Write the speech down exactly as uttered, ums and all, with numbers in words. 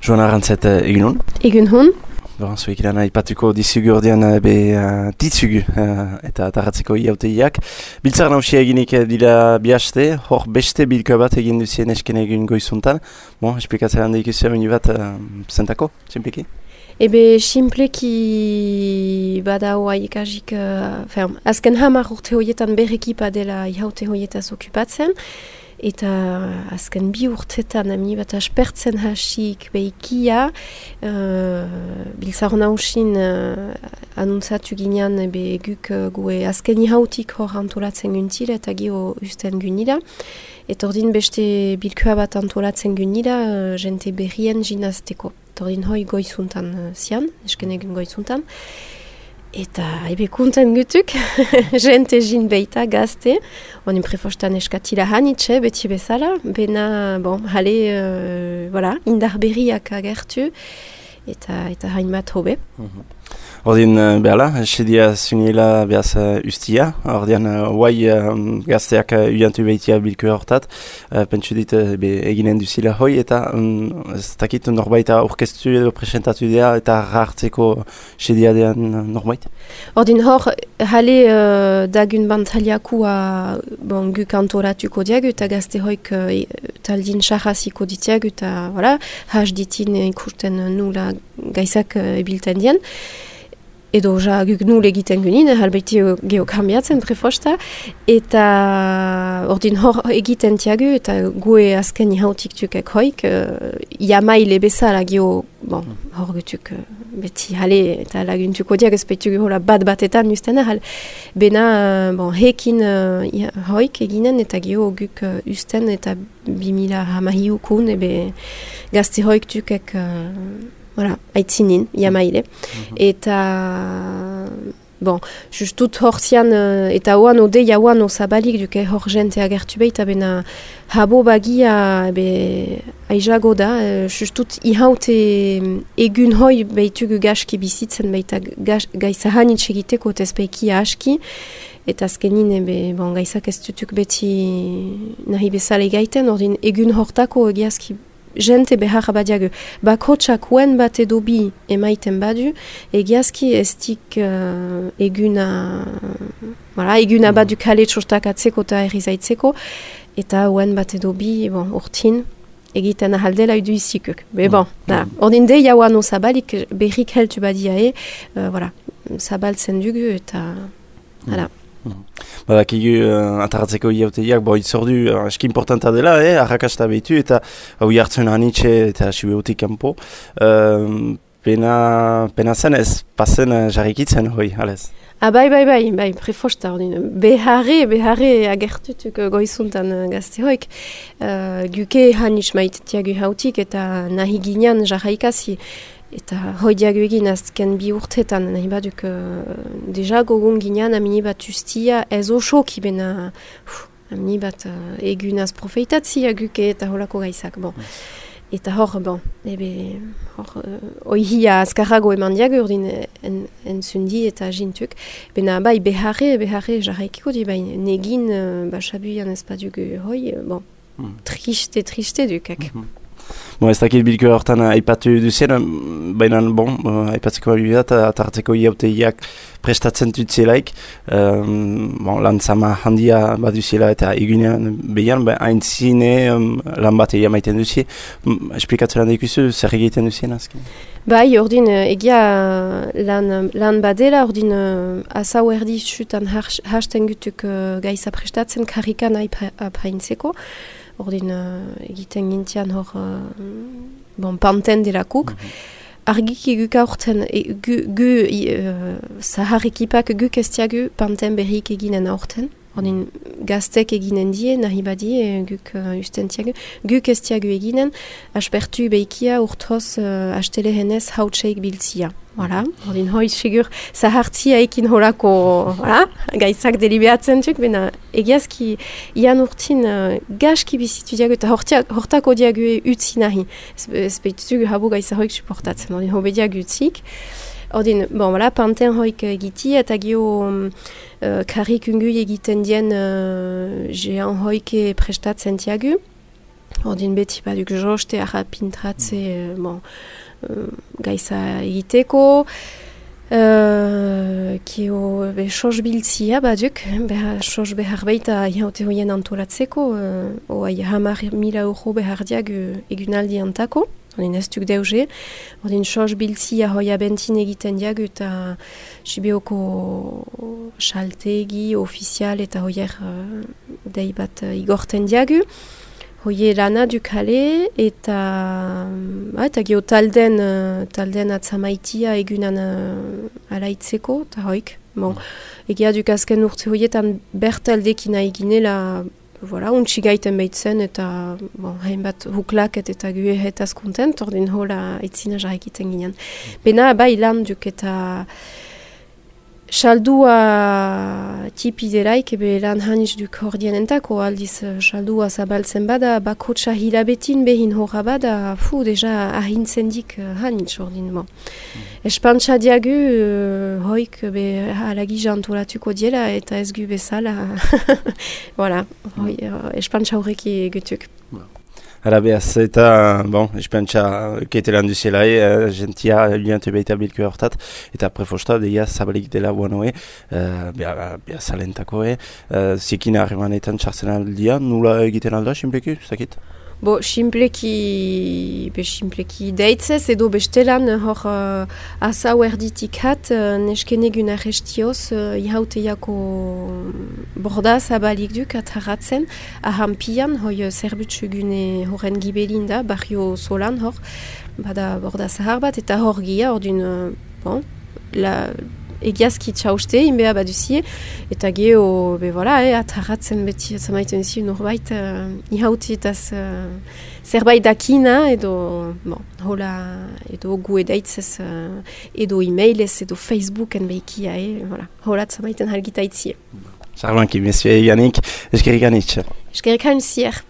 Joan Arrantzet egin hon? Egun hon. Bon, zuek iran aipatuko dizugu ordean be uh, ditzugu uh, eta tarratzeko iauteiak. Biltzar nausia eginik dira bihaste, hor beste bilko bat egin duzien esken egin goizuntan. Bon, esplikatzen handa ikusia meni bat uh, zentako, simpleki? Ebe, simpleki bada hoa ikasik, uh, azken hamar urte hoietan berrekipa dela ihaute hoietaz okupatzen. Eta azken bi urtetan amni bat aspertzen hasik behikia, uh, biltzar nausin uh, anuntzatu ginean ebe guk uh, gue azken ihautik hor antolatzen guntila eta gio usten gunila. Eta ordin beste bilkua bat antolatzen gunila, uh, jente berrien jinazteko. Eta ordin hoi goizuntan uh, zian, esken egun goizuntan. Eta ebe kunten gutuk, jente jin beita gazte, onin prefostan eskatila hanitxe, beti bezala, bena, bon, hale, uh, voilà, indar berriak agertu, eta, eta hainbat hobe. Mm-hmm. Ordin, uh, behala, sedia zuniela behaz uh, ustia, ordean, huai uh, um, gazteak uh, uiantu behitia bilko hortat, uh, pentsu dit uh, be, eginen duzila hoi, eta um, ez dakit norbaita orkestu edo presentatu dea, eta hartzeko sedia dean uh, norbait? Ordin hor, hale uh, dagun bantaliakua bon, guk antolatuko diagu, eta gazte hoik uh, taldin xarraziko ditiagu, eta voilà, has ditin ikusten nula gaizak uh, ebilten dien. Edo ja guk nul egiten gunin, halbeiti geokambiatzen prefosta, eta ordin hor egiten tiagu, eta gue azken ihautik tukek hoik, uh, iamaile bezala geo, bon, hor gutuk uh, beti hale, eta laguntuko diag ezpeitu hola bat batetan usten ahal. Bena, uh, bon, hekin uh, hoik eginen, eta geo guk uh, usten, eta bimila hamahiukun, ebe gazte hoik tukek... Uh, Voilà, aitzinin, iamaile. Mm-hmm. Eta, bon, justut horzian, uh, eta oan ode jauan osabalik duke hor jente agertu behi, eta bena habo bagia, ebe, aizago da, uh, justut ihaute egun hoi behitugu gaski bizitzen, behita gaisa hanitz egiteko tezpeiki aski, eta azkenin, ebe, bon, gaisak ez dutuk beti nahi bezale gaiten, ordin egun hortako egiazki jente behar badiagu. Bakotsak uen bat edo bi emaiten badu, egiazki estik uh, eguna, voilà, eguna badu kale txostak atzeko eta errizaitzeko, eta uen bat edo bi, bon, urtin, egiten ahaldela idu izikuk. Be bon, da, ordin de jauan osabalik berrik heltu badiae, uh, voilà, zabaltzen dugu, eta, voilà. Badakigu uh, atarratzeko iauteiak, bo itzordu uh, eski importanta dela, eh, arrakasta behitu, eta hau jartzen hanitxe eta sibeotik kanpo. Uh, pena, pena zen ez, pasen uh, jarrikitzen hoi, alez? Ah, bai, bai, bai, bai, prefosta ordin. Beharre, beharre agertutuk goizuntan uh, gazte hoik. Uh, guke hanitz maitetiagu hautik eta nahi ginean jarraikasi. Eta hoi diago egin azken bi urtetan, nahi baduk uh, deja gogun ginean amini bat ustia ez osoki bena amini bat uh, egunaz profeitatzia guke eta holako gaizak. Bon. Eta hor, bon, ebe, hor, uh, oihia azkarrago eman diago urdin en, entzundi eta jintuk. Bena bai beharre, beharre jarraikiko di, bai negin uh, basabuian ez badugu hoi, uh, bon, mm. triste, triste dukak. Mm-hmm. Bon, ez dakit bilko hortan aipatu duzien, baina, bon, aipatzeko abibat, atartzeko iauteiak prestatzen dutzelaik, um, bon, lan zama handia baduziela eta egunean behian, ba, hain zine um, lan bat egia maiten duzie. Um, esplikatzen lan daikuzu, zer egiten duzien azken? Bai, ordin, egia lan, lan badela, ordin, uh, asau erdi xutan hasten gutuk uh, gaisa prestatzen karrikan apaintzeko. Ordin uh, egiten gintian hor uh, bon, panten delakuk. Mm-hmm. Argiki guk aurten, e, gu, gu uh, zahar ekipak guk estiagu panten berrik eginen aurten. Ordin gaztek eginen die, nahi badie, guk uh, ustentiagu. Guk estiagu eginen, aspertu behikia urtoz uh, astele henez hautseik biltzia. Voilà, ordin hoi sigur zahartzia ekin horako voilà, gaizak delibeatzen duk, bena egiazki ian urtin uh, gaski bizitu diago eta hortako diago utzi nahi. Ez behitugu habu gaiza hoik suportatzen, ordin hobe diago utzik. Ordin, bon, voilà, panten hoik egiti eta gio um, uh, karrik ungu egiten dien uh, jean hoike prestatzen diago. Ordin beti baduk joste arra pintratze, uh, bon, uh, gaiza egiteko, uh, kio be sos biltzia baduk, behar sos behar baita jaute hoien antolatzeko, uh, oai hamar mila euro behar diag egunaldi antako, ordin ez duk deuge, ordin sos biltzia hoia bentin egiten diag eta Sibioko saltegi, ofizial eta hoier uh, dei bat uh, igorten diagu. Hoie lana dukale eta, uh, eta gio talden, uh, talden atzamaitia egunan uh, alaitzeko, eta hoik. Bon, egia duk azken urte hoietan bertaldekina eginela, voilà, untsi gaiten behitzen eta bon, hainbat huklaket eta gue hetaz kontent, ordin hola itzina jarrekiten ginen. Bena bai lan duk eta Saldua tipideraik ebe lan haniz duk hordienentako aldiz saldua zabaltzen bada bakotsa hilabetin behin horra bada fu deja ahintzen dik haniz ordin bon. Mm. Espantsa diagu uh, hoik be alagi jantolatuko diela eta ez gu bezala voilà, hoi, uh, espantsa horreki gutuk. Hala behaz, eta, bon, espentsa ketelan duzelai, uh, gentia liante baita bilko hortat, eta prefosta deia zabalik dela guanoe, uh, beha, beha salentako, eh? uh, zikin harremanetan txartzen aldia, nula egiten alda, simpleki, zakit? Bo, simpleki, be simpleki deitzez, edo bestelan hor uh, asau erditik hat, uh, neskenegun arrestioz, uh, ihauteiako borda zabalik duk atarratzen, ahampian, hoi zerbutsugune horren gibelin da, barrio solan hor, bada borda zahar bat, eta hor gia, hor dun, uh, bon, la... egiazki txauste, inbea baduzie, eta geho, be voilà, eh, atarratzen beti, zamaiten zi, norbait, uh, ihautietaz uh, zerbait dakina, edo, bon, hola, edo gu edaitzez, uh, edo e-mailez, edo Facebooken behikia, eh, voilà, hola, zamaiten halgita itzie. Sarbanki, monsieur Yannick, eskerrik anitz. Eskerrik anitzier.